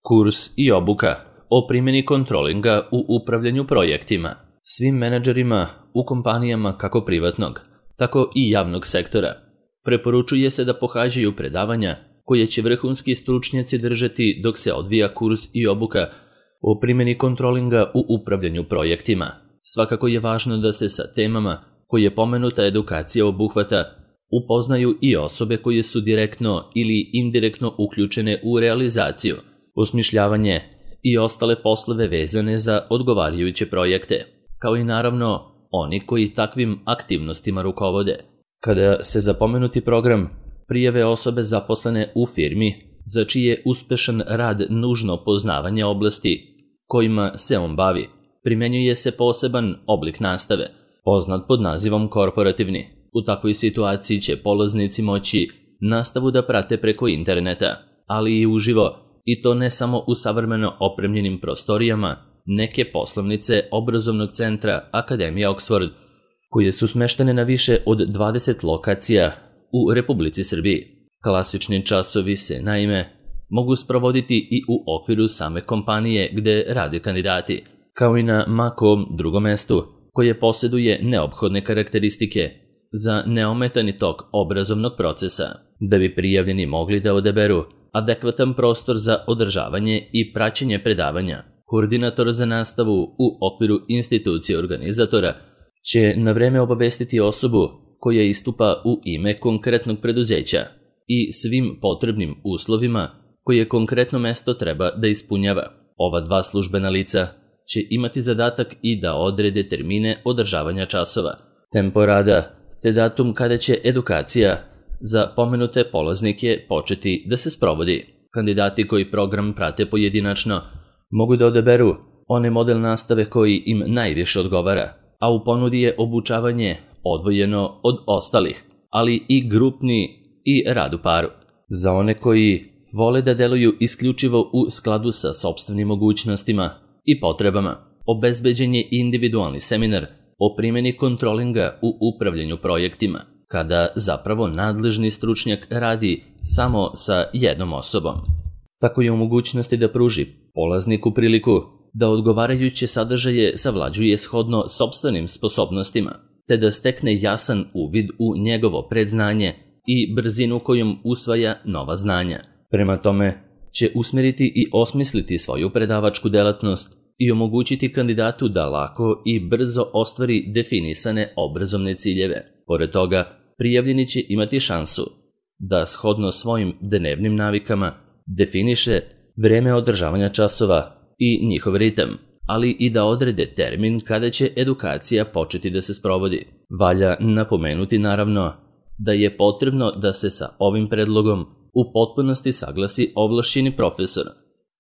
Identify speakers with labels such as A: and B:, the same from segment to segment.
A: Kurs i obuka o primjeni kontrolinga u upravljanju projektima. Svim menadžerima u kompanijama kako privatnog, tako i javnog sektora preporučuje se da pohađaju predavanja koje će vrhunski stručnjaci držati dok se odvija kurs i obuka o primjeni kontrolinga u upravljanju projektima. Svakako je važno da se sa temama koje pomenuta edukacija obuhvata upoznaju i osobe koje su direktno ili indirektno uključene u realizaciju, osmišljavanje i ostale poslove vezane za odgovarajuće projekte, kao i naravno oni koji takvim aktivnostima rukovode. Kada se za pomenuti program prijave osobe zaposlene u firmi za čiji je uspešan rad nužno poznavanje oblasti kojima se on bavi, primenjuje se poseban oblik nastave, poznat pod nazivom korporativni. U takvoj situaciji će polaznici moći nastavu da prate preko interneta, ali i uživo, i to ne samo u savremeno opremljenim prostorijama neke poslovnice obrazovnog centra Akademija Oxford, koje su smeštene na više od 20 lokacija u Republici Srbiji. Klasični časovi se, naime, mogu sprovoditi i u okviru same kompanije gde rade kandidati, kao i na ma kom drugom mestu koje posjeduje neophodne karakteristike za neometani tok obrazovnog procesa, da bi prijavljeni mogli da odaberu adekvatan prostor za održavanje i praćenje predavanja. Koordinator za nastavu u okviru institucije organizatora će na vreme obavestiti osobu koja istupa u ime konkretnog preduzeća i svim potrebnim uslovima koje konkretno mesto treba da ispunjava. Ova dva službena lica će imati zadatak i da odrede termine održavanja časova, tempo rada, te datum kada će edukacija za pomenute polaznike početi da se sprovodi. Kandidati koji program prate pojedinačno mogu da odaberu onaj model nastave koji im najviše odgovara, a u ponudi je obučavanje odvojeno od ostalih, ali i grupni i rad u paru. Za one koji vole da deluju isključivo u skladu sa sopstvenim mogućnostima i potrebama, obezbeđen je individualni seminar o primjeni kontrolinga u upravljanju projektima, kada zapravo nadležni stručnjak radi samo sa jednom osobom. Tako je u mogućnosti da pruži polazniku priliku da odgovarajuće sadržaje savlađuje shodno sopstvenim sposobnostima, te da stekne jasan uvid u njegovo predznanje i brzinu kojom usvaja nova znanja. Prema tome će usmeriti i osmisliti svoju predavačku delatnost i omogućiti kandidatu da lako i brzo ostvari definisane obrazovne ciljeve. Pored toga, prijavljeni će imati šansu da shodno svojim dnevnim navikama definiše vreme održavanja časova i njihov ritam, ali i da odrede termin kada će edukacija početi da se sprovodi. Valja napomenuti naravno da je potrebno da se sa ovim predlogom u potpunosti saglasi ovlašćeni profesor,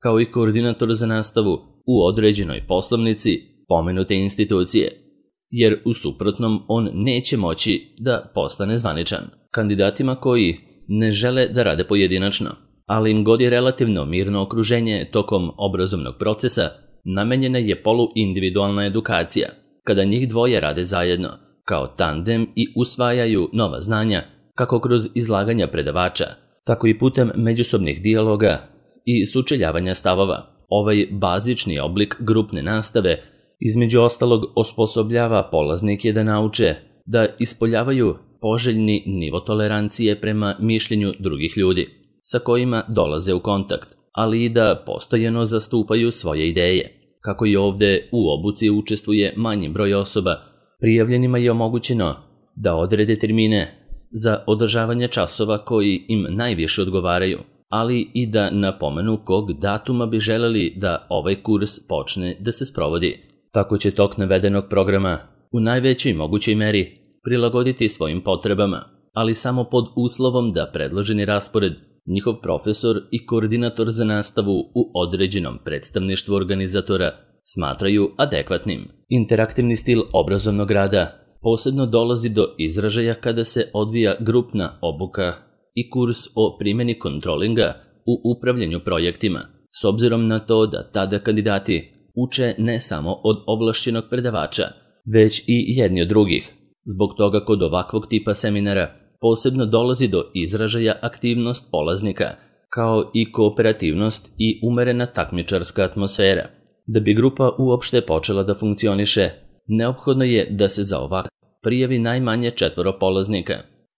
A: kao i koordinator za nastavu u određenoj poslovnici pomenute institucije, jer u suprotnom on neće moći da postane zvaničan. Kandidatima koji ne žele da rade pojedinačno, ali im godi relativno mirno okruženje tokom obrazovnog procesa, namenjena je poluindividualna edukacija, kada njih dvoje rade zajedno, kao tandem i usvajaju nova znanja, kako kroz izlaganja predavača, tako i putem međusobnih dijaloga i sučeljavanja stavova. Ovaj bazični oblik grupne nastave između ostalog osposobljava polaznike da nauče da ispoljavaju poželjni nivo tolerancije prema mišljenju drugih ljudi sa kojima dolaze u kontakt, ali i da postojano zastupaju svoje ideje. Kako i ovde u obuci učestvuje manji broj osoba, prijavljenima je omogućeno da odrede termine za održavanje časova koji im najviše odgovaraju, ali i da napomenu kog datuma bi želeli da ovaj kurs počne da se sprovodi. Tako će tok navedenog programa u najvećoj mogućoj meri prilagoditi svojim potrebama, ali samo pod uslovom da predloženi raspored njihov profesor i koordinator za nastavu u određenom predstavništvu organizatora smatraju adekvatnim. Interaktivni stil obrazovnog rada posebno dolazi do izražaja kada se odvija grupna obuka i kurs o primjeni kontrolinga u upravljanju projektima, s obzirom na to da tada kandidati uče ne samo od ovlašćenog predavača, već i jedni od drugih. Zbog toga kod ovakvog tipa seminara posebno dolazi do izražaja aktivnost polaznika kao i kooperativnost i umerena takmičarska atmosfera. Da bi grupa uopšte počela da funkcioniše, neophodno je da se za ovak prijavi najmanje 4 polaznika,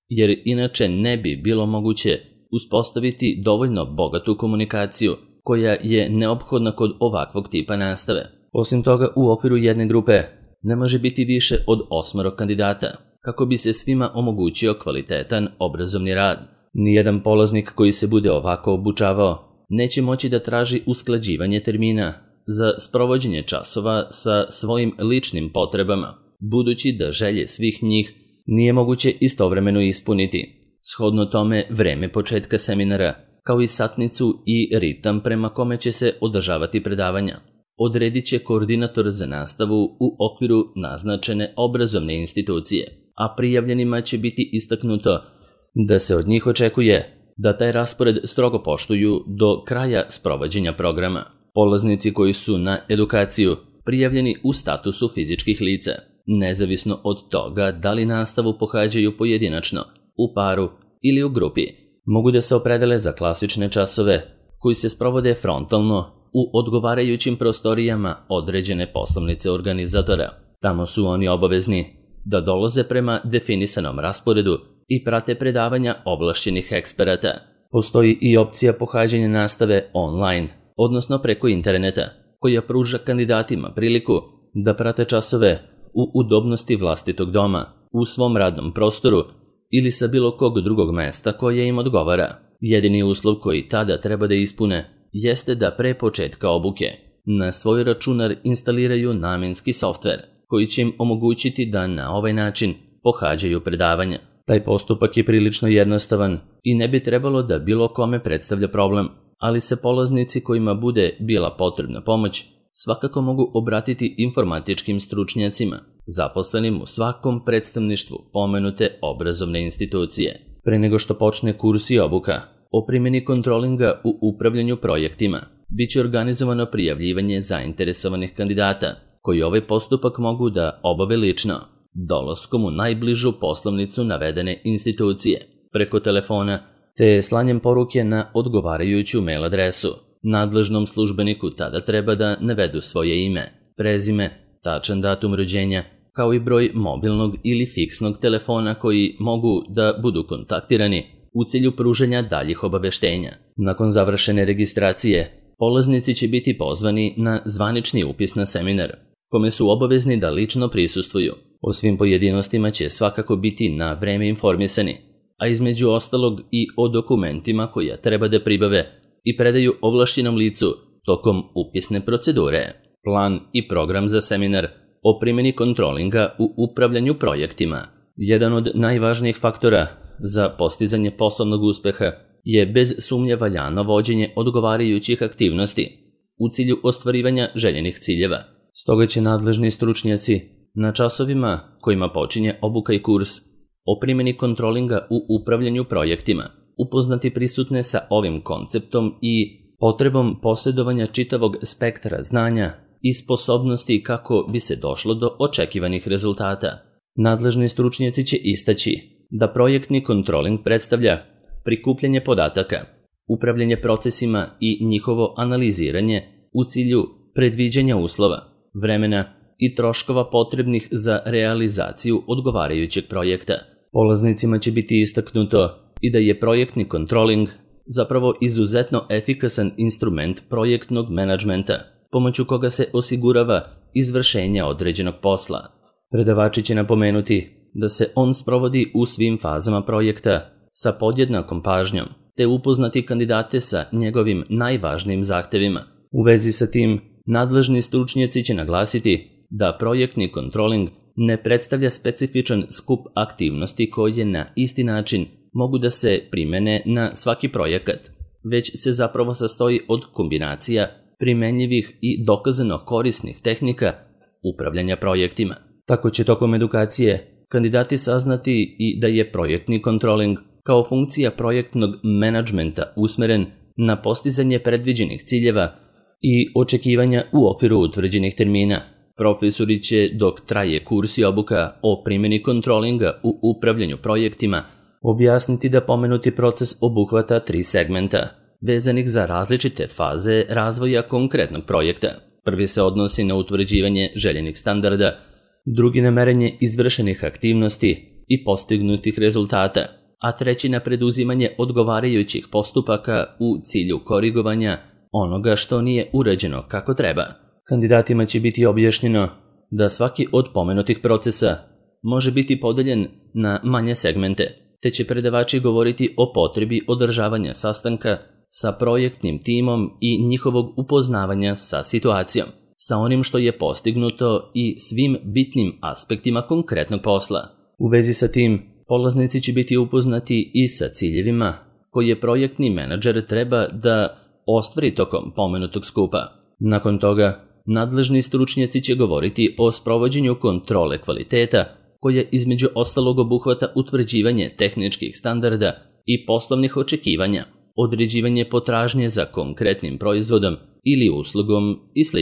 A: jer inače ne bi bilo moguće uspostaviti dovoljno bogatu komunikaciju koja je neophodna kod ovakvog tipa nastave. Osim toga, u okviru jedne grupe ne može biti više od 8 kandidata, kako bi se svima omogućio kvalitetan obrazovni rad. Nijedan polaznik koji se bude ovako obučavao neće moći da traži usklađivanje termina za sprovođenje časova sa svojim ličnim potrebama, budući da želje svih njih nije moguće istovremeno ispuniti. Shodno tome, vreme početka seminara, kao i satnicu i ritam prema kome će se održavati predavanja, odredit će koordinator za nastavu u okviru naznačene obrazovne institucije, a prijavljenima će biti istaknuto da se od njih očekuje da taj raspored strogo poštuju do kraja sprovođenja programa. Polaznici koji su na edukaciju prijavljeni u statusu fizičkih lica, nezavisno od toga da li nastavu pohađaju pojedinačno, u paru ili u grupi, mogu da se opredele za klasične časove koji se sprovode frontalno u odgovarajućim prostorijama određene poslovnice organizatora. Tamo su oni obavezni da dolaze prema definisanom rasporedu i prate predavanja ovlašćenih eksperata. Postoji i opcija pohađanja nastave online, odnosno preko interneta, koja pruža kandidatima priliku da prate časove u udobnosti vlastitog doma, u svom radnom prostoru ili sa bilo kog drugog mesta koje im odgovara. Jedini uslov koji tada treba da ispune jeste da pre početka obuke na svoj računar instaliraju namenski softver koji će im omogućiti da na ovaj način pohađaju predavanja. Taj postupak je prilično jednostavan i ne bi trebalo da bilo kome predstavlja problem, ali se polaznici kojima bude bila potrebna pomoć svakako mogu obratiti informatičkim stručnjacima, zaposlenim u svakom predstavništvu pomenute obrazovne institucije. Pre nego što počne kurs i obuka o primjeni kontrolinga u upravljanju projektima, bit će organizovano prijavljivanje zainteresovanih kandidata, koji ovaj postupak mogu da obave lično, dolaskom u najbližu poslovnicu navedene institucije, preko telefona, te slanjem poruke na odgovarajuću mail adresu. Nadležnom službeniku tada treba da navedu svoje ime, prezime, tačan datum rođenja, kao i broj mobilnog ili fiksnog telefona koji mogu da budu kontaktirani u cilju pružanja daljih obaveštenja. Nakon završene registracije, polaznici će biti pozvani na zvanični upis na seminar, kome su obavezni da lično prisustvuju. O svim pojedinostima će svakako biti na vreme informisani, a između ostalog i o dokumentima koja treba da pribave i predaju ovlašćenom licu tokom upisne procedure. Plan i program za seminar o primjeni kontrolinga u upravljanju projektima. Jedan od najvažnijih faktora za postizanje poslovnog uspeha je bez sumnje valjano vođenje odgovarajućih aktivnosti u cilju ostvarivanja željenih ciljeva. Stoga će nadležni stručnjaci na časovima kojima počinje obuka i kurs o primjeni kontrolinga u upravljanju projektima upoznati prisutne sa ovim konceptom i potrebom posjedovanja čitavog spektra znanja i sposobnosti kako bi se došlo do očekivanih rezultata. Nadležni stručnjaci će istaći da projektni kontroling predstavlja prikupljanje podataka, upravljanje procesima i njihovo analiziranje u cilju predviđanja uslova, vremena i troškova potrebnih za realizaciju odgovarajućeg projekta. Polaznicima će biti istaknuto i da je projektni kontroling zapravo izuzetno efikasan instrument projektnog menadžmenta, pomoću koga se osigurava izvršenje određenog posla. Predavači će napomenuti da se on sprovodi u svim fazama projekta sa podjednakom pažnjom, te upoznati kandidate sa njegovim najvažnijim zahtevima. U vezi sa tim, nadležni stručnjaci će naglasiti da projektni kontroling ne predstavlja specifičan skup aktivnosti koje na isti način mogu da se primene na svaki projekat, već se zapravo sastoji od kombinacija primenjivih i dokazano korisnih tehnika upravljanja projektima. Tako će tokom edukacije kandidati saznati i da je projektni kontroling kao funkcija projektnog menadžmenta usmeren na postizanje predviđenih ciljeva i očekivanja u okviru utvrđenih termina. Profesori će, dok traje kurs i obuka o primjeni kontrolinga u upravljanju projektima, objasniti da pomenuti proces obuhvata 3 segmenta: vezanih za različite faze razvoja konkretnog projekta. Prvi se odnosi na utvrđivanje željenih standarda, drugi na merenje izvršenih aktivnosti i postignutih rezultata, a treći na preduzimanje odgovarajućih postupaka u cilju korigovanja onoga što nije urađeno kako treba. Kandidatima će biti objašnjeno da svaki od pomenutih procesa može biti podeljen na manje segmente, te će predavači govoriti o potrebi održavanja sastanka sa projektnim timom i njihovog upoznavanja sa situacijom, sa onim što je postignuto i svim bitnim aspektima konkretnog posla. U vezi sa tim, polaznici će biti upoznati i sa ciljevima koje projektni menadžer treba da ostvari tokom pomenutog skupa. Nakon toga, nadležni stručnjaci će govoriti o sprovođenju kontrole kvaliteta, koja između ostalog obuhvata utvrđivanje tehničkih standarda i poslovnih očekivanja, određivanje potražnje za konkretnim proizvodom ili uslugom i sl.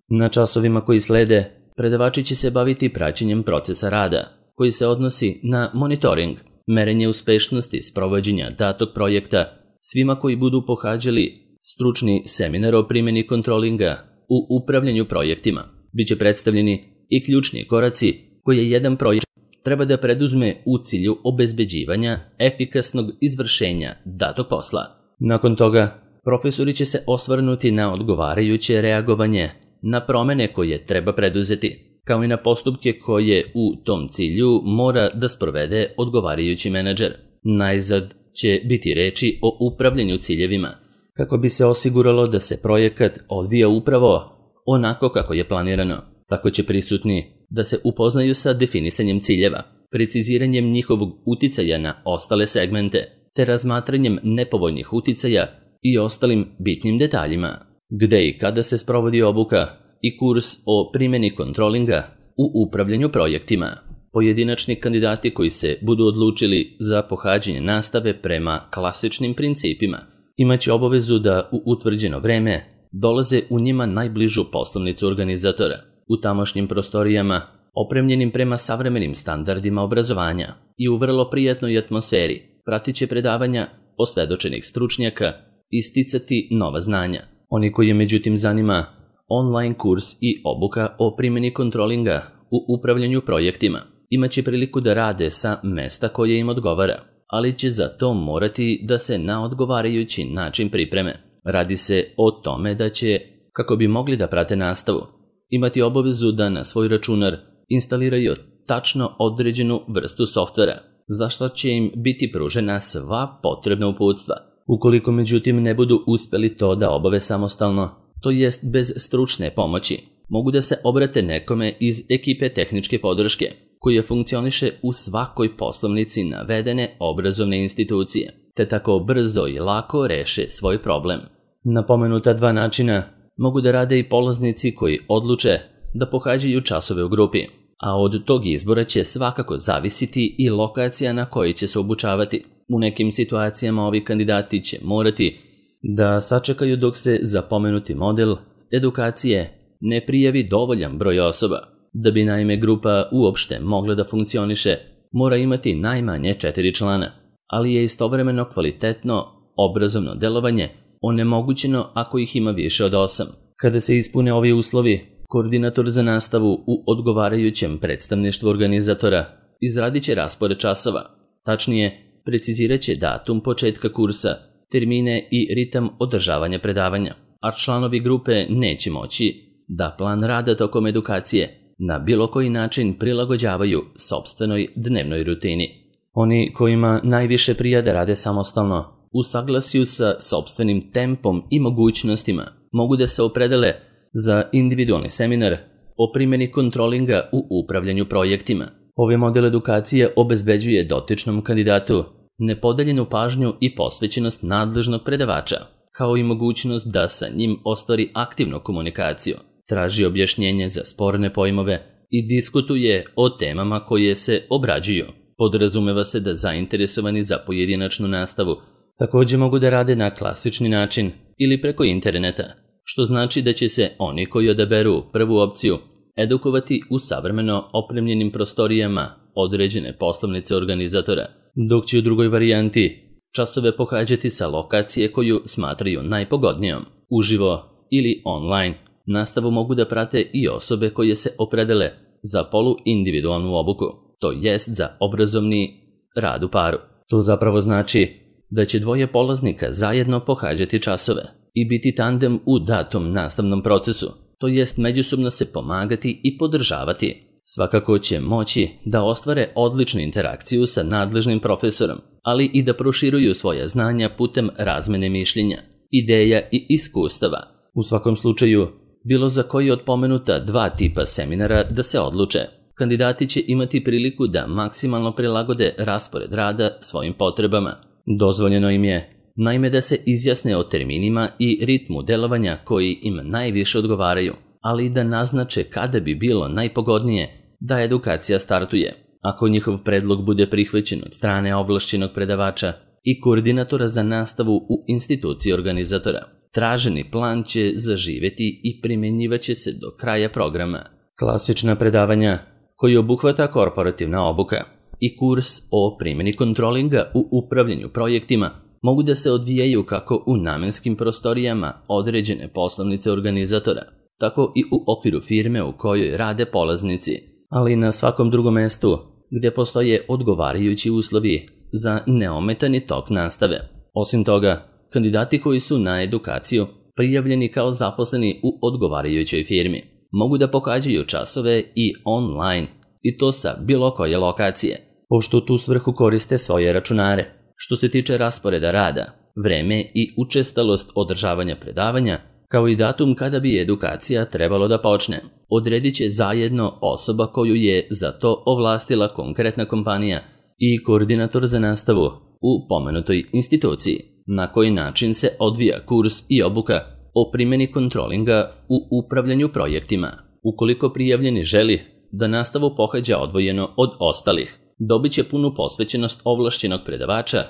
A: Na časovima koji slede, predavači će se baviti praćenjem procesa rada, koji se odnosi na monitoring, merenje uspešnosti sprovođenja datog projekta svima koji budu pohađali stručni seminar o primjeni kontrolinga u upravljanju projektima. Biće predstavljeni i ključni koraci koje jedan projekt treba da preduzme u cilju obezbeđivanja efikasnog izvršenja datog posla. Nakon toga, profesori će se osvrnuti na odgovarajuće reagovanje na promene koje treba preduzeti, kao i na postupke koje u tom cilju mora da sprovede odgovarajući menadžer. Najzad će biti reči o upravljanju ciljevima, kako bi se osiguralo da se projekat odvija upravo onako kako je planirano. Tako će prisutni da se upoznaju sa definisanjem ciljeva, preciziranjem njihovog uticaja na ostale segmente, te razmatranjem nepovoljnih uticaja i ostalim bitnim detaljima. Gde i kada se sprovodi obuka i kurs o primjeni kontrolinga u upravljanju projektima. Pojedinačni kandidati koji se budu odlučili za pohađanje nastave prema klasičnim principima imaće obavezu da u utvrđeno vreme dolaze u njima najbližu poslovnicu organizatora, u tamošnjim prostorijama opremljenim prema savremenim standardima obrazovanja i u vrlo prijatnoj atmosferi pratit će predavanja osvedočenih stručnjaka i sticati nova znanja. Oni koji je međutim zanima online kurs i obuka o primjeni kontrolinga u upravljanju projektima imaće priliku da rade sa mesta koje im odgovara, ali će za to morati da se na odgovarajući način pripreme. Radi se o tome da će, kako bi mogli da prate nastavu, imati obavezu da na svoj računar instaliraju tačno određenu vrstu softvera, za što će im biti pružena sva potrebna uputstva. Ukoliko međutim ne budu uspeli to da obave samostalno, to jest bez stručne pomoći, mogu da se obrate nekome iz ekipe tehničke podrške, koja funkcioniše u svakoj poslovnici navedene obrazovne institucije, te tako brzo i lako reše svoj problem. Na pomenuta dva načina mogu da rade i polaznici koji odluče da pohađaju časove u grupi, a od tog izbora će svakako zavisiti i lokacija na kojoj će se obučavati. U nekim situacijama ovi kandidati će morati da sačekaju dok se za pomenuti model edukacije ne prijavi dovoljan broj osoba. Da bi naime grupa uopšte mogla da funkcioniše, mora imati najmanje 4 člana, ali je istovremeno kvalitetno obrazovno delovanje onemogućeno ako ih ima više od 8. Kada se ispune ovi uslovi, koordinator za nastavu u odgovarajućem predstavništvu organizatora izradit će raspored časova, tačnije precizirat će datum početka kursa, termine i ritam održavanja predavanja, a članovi grupe neće moći da plan rada tokom edukacije na bilo koji način prilagođavaju sopstvenoj dnevnoj rutini. Oni kojima najviše prija da rade samostalno, u saglasju sa sopstvenim tempom i mogućnostima, mogu da se opredele za individualni seminar o primjeni kontrolinga u upravljanju projektima. Ovaj model edukacije obezbeđuje dotičnom kandidatu nepodeljenu pažnju i posvećenost nadležnog predavača, kao i mogućnost da sa njim ostvari aktivnu komunikaciju, traži objašnjenje za sporne pojmove i diskutuje o temama koje se obrađuju. Podrazumeva se da zainteresovani za pojedinačnu nastavu također mogu da rade na klasični način ili preko interneta, što znači da će se oni koji odaberu prvu opciju edukovati u savremeno opremljenim prostorijama određene poslovnice organizatora, dok će u drugoj varijanti časove pohađati sa lokacije koju smatraju najpogodnijom, uživo ili online. Nastavu mogu da prate i osobe koje se opredele za poluindividualnu obuku, to jest za obrazovni rad u paru. To zapravo znači da će dvoje polaznika zajedno pohađati časove i biti tandem u datom nastavnom procesu, to jest međusobno se pomagati i podržavati. Svakako će moći da ostvare odličnu interakciju sa nadležnim profesorom, ali i da proširuju svoja znanja putem razmene mišljenja, ideja i iskustava. U svakom slučaju, bilo za koji od pomenuta dva tipa seminara da se odluče, kandidati će imati priliku da maksimalno prilagode raspored rada svojim potrebama. Dozvoljeno im je, naime, da se izjasne o terminima i ritmu delovanja koji im najviše odgovaraju, ali i da naznače kada bi bilo najpogodnije da edukacija startuje. Ako njihov predlog bude prihvaćen od strane ovlašćenog predavača i koordinatora za nastavu u instituciji organizatora, traženi plan će zaživeti i primjenjivaće se do kraja programa. Klasična predavanja koji obuhvata korporativna obuka i kurs o primjeni kontrolinga u upravljanju projektima mogu da se odvijaju kako u namenskim prostorijama određene poslovnice organizatora, tako i u okviru firme u kojoj rade polaznici, ali i na svakom drugom mestu gdje postoje odgovarajući uslovi za neometani tok nastave. Osim toga, kandidati koji su na edukaciju prijavljeni kao zaposleni u odgovarajućoj firmi mogu da pohađaju časove i online, i to sa bilo koje lokacije, pošto u tu svrhu koriste svoje računare. Što se tiče rasporeda rada, vreme i učestalost održavanja predavanja, kao i datum kada bi edukacija trebalo da počne, odredit će zajedno osoba koju je za to ovlastila konkretna kompanija i koordinator za nastavu u pomenutoj instituciji. Na koji način se odvija kurs i obuka o primjeni kontrolinga u upravljanju projektima. Ukoliko prijavljeni želi da nastavu pohađa odvojeno od ostalih, dobit će punu posvećenost ovlašćenog predavača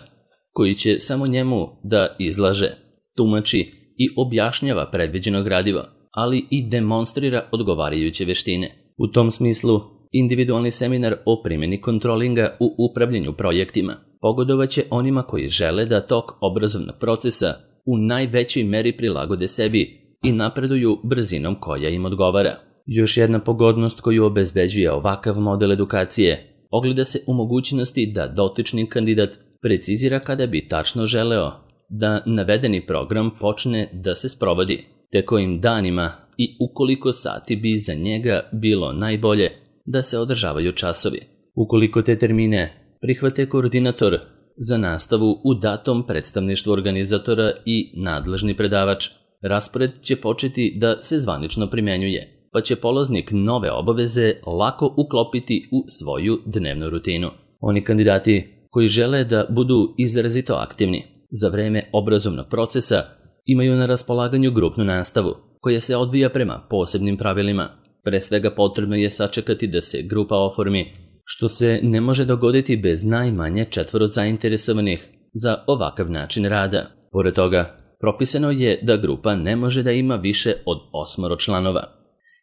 A: koji će samo njemu da izlaže, tumači i objašnjava predviđeno gradivo, ali i demonstrira odgovarajuće veštine. U tom smislu, individualni seminar o primjeni kontrolinga u upravljanju projektima pogodovaće onima koji žele da tok obrazovnog procesa u najvećoj meri prilagode sebi i napreduju brzinom koja im odgovara. Još jedna pogodnost koju obezbeđuje ovakav model edukacije ogleda se u mogućnosti da dotični kandidat precizira kada bi tačno želeo da navedeni program počne da se sprovodi, te kojim danima i u koliko sati bi za njega bilo najbolje da se održavaju časovi. Ukoliko te termine prihvate koordinator za nastavu u datom predstavništvu organizatora i nadležni predavač, raspored će početi da se zvanično primjenjuje, pa će polaznik nove obaveze lako uklopiti u svoju dnevnu rutinu. Oni kandidati koji žele da budu izrazito aktivni za vreme obrazovnog procesa imaju na raspolaganju grupnu nastavu koja se odvija prema posebnim pravilima. Pre svega potrebno je sačekati da se grupa oformi, što se ne može dogoditi bez najmanje 4 zainteresovanih za ovakav način rada. Pored toga, propisano je da grupa ne može da ima više od 8 članova,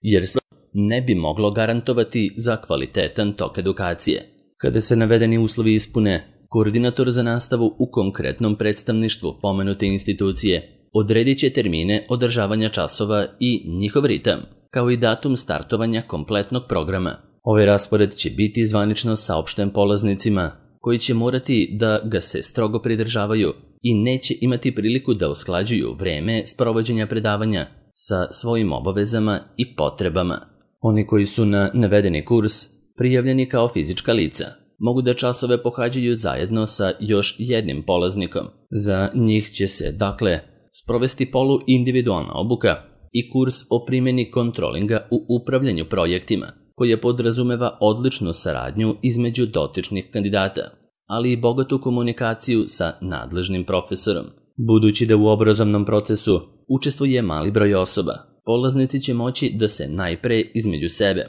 A: jer se ne bi moglo garantovati za kvalitetan tok edukacije. Kada se navedeni uslovi ispune, koordinator za nastavu u konkretnom predstavništvu pomenute institucije odredit će termine održavanja časova i njihov ritam, kao i datum startovanja kompletnog programa. Ovaj raspored će biti zvanično saopšten polaznicima, koji će morati da ga se strogo pridržavaju i neće imati priliku da usklađuju vreme sprovođenja predavanja sa svojim obavezama i potrebama. Oni koji su na navedeni kurs prijavljeni kao fizička lica mogu da časove pohađaju zajedno sa još jednim polaznikom. Za njih će se, dakle, sprovesti poluindividualna obuka i kurs o primjeni kontrolinga u upravljanju projektima, koje podrazumeva odličnu saradnju između dotičnih kandidata, ali i bogatu komunikaciju sa nadležnim profesorom. Budući da u obrazovnom procesu učestvuje mali broj osoba, polaznici će moći da se najpre između sebe,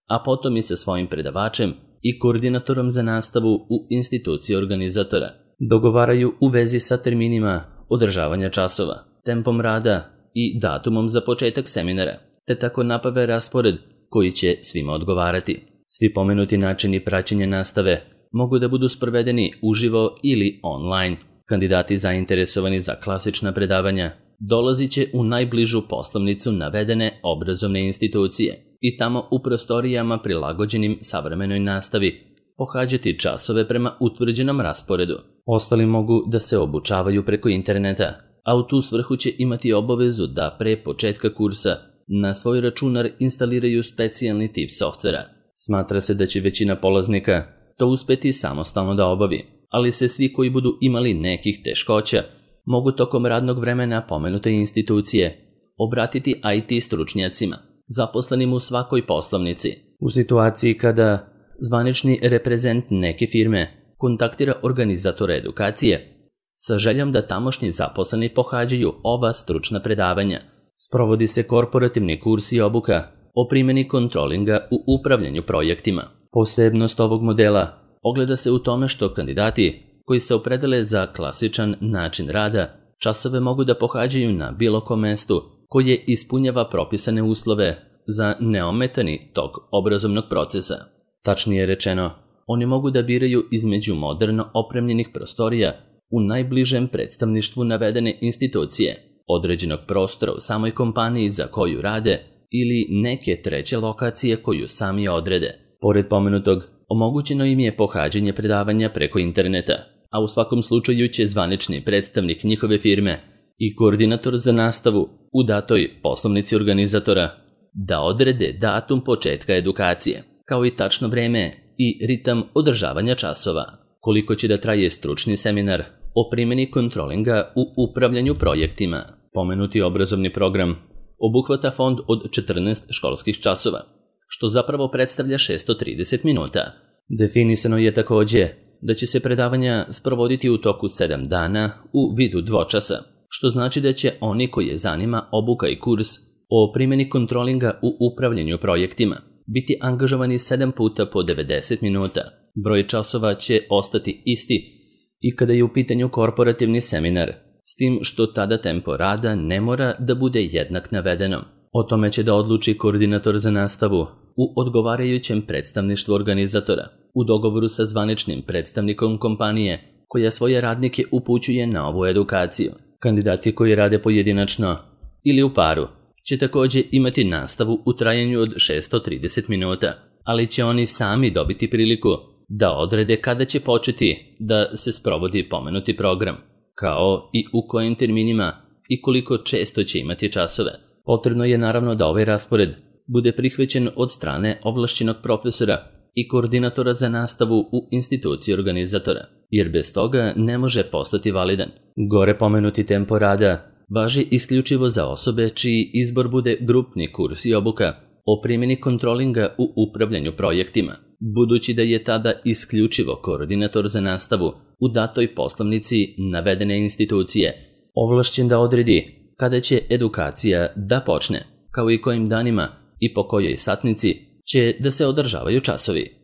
A: a potom i sa svojim predavačem i koordinatorom za nastavu u instituciji organizatora dogovaraju u vezi sa terminima održavanja časova, tempom rada i datumom za početak seminara, te tako napave raspored koji će svima odgovarati. Svi pomenuti načini praćenja nastave mogu da budu sprovedeni uživo ili online. Kandidati zainteresovani za klasična predavanja dolazit će u najbližu poslovnicu navedene obrazovne institucije i tamo u prostorijama prilagođenim savremenoj nastavi pohađati časove prema utvrđenom rasporedu. Ostali mogu da se obučavaju preko interneta, a u tu svrhu će imati obavezu da pre početka kursa na svoj računar instaliraju specijalni tip softvera. Smatra se da će većina polaznika to uspeti samostalno da obavi, ali se svi koji budu imali nekih teškoća mogu tokom radnog vremena pomenute institucije obratiti IT stručnjacima, zaposlenim u svakoj poslovnici. U situaciji kada zvanični reprezent neke firme kontaktira organizatora edukacije sa željom da tamošnji zaposleni pohađaju ova stručna predavanja, sprovodi se korporativni kurs i obuka o primjeni kontrolinga u upravljanju projektima. Posebnost ovog modela ogleda se u tome što kandidati koji se opredele za klasičan način rada časove mogu da pohađaju na bilo kom mestu koje ispunjava propisane uslove za neometani tok obrazovnog procesa. Tačnije rečeno, oni mogu da biraju između moderno opremljenih prostorija u najbližem predstavništvu navedene institucije, određenog prostora u samoj kompaniji za koju rade ili neke treće lokacije koju sami odrede. Pored pomenutog, omogućeno im je pohađanje predavanja preko interneta, a u svakom slučaju će zvanični predstavnik njihove firme i koordinator za nastavu u datoj poslovnici organizatora da odrede datum početka edukacije, kao i tačno vreme i ritam održavanja časova. Koliko će da traje stručni seminar o primjeni kontrolinga u upravljanju projektima. Pomenuti obrazovni program obuhvata fond od 14 školskih časova, što zapravo predstavlja 630 minuta. Definisano je takođe da će se predavanja sprovoditi u toku 7 dana u vidu dvočasa, što znači da će oni koje zanima obuka i kurs o primjeni kontrolinga u upravljanju projektima biti angažovani 7 puta po 90 minuta. Broj časova će ostati isti i kada je u pitanju korporativni seminar, s tim što tada tempo rada ne mora da bude jednak navedenom. O tome će da odluči koordinator za nastavu u odgovarajućem predstavništvu organizatora, u dogovoru sa zvaničnim predstavnikom kompanije koja svoje radnike upućuje na ovu edukaciju. Kandidati koji rade pojedinačno ili u paru će takođe imati nastavu u trajanju od 630 minuta, ali će oni sami dobiti priliku da odrede kada će početi da se sprovodi pomenuti program, kao i u kojim terminima i koliko često će imati časove. Potrebno je naravno da ovaj raspored bude prihvaćen od strane ovlašćenog profesora i koordinatora za nastavu u instituciji organizatora, jer bez toga ne može postati validan. Gore pomenuti tempo rada važi isključivo za osobe čiji izbor bude grupni kurs i obuka o primjeni kontrolinga u upravljanju projektima, budući da je tada isključivo koordinator za nastavu u datoj poslovnici navedene institucije ovlašćen da odredi kada će edukacija da počne, kao i kojim danima i po kojoj satnici će da se održavaju časovi.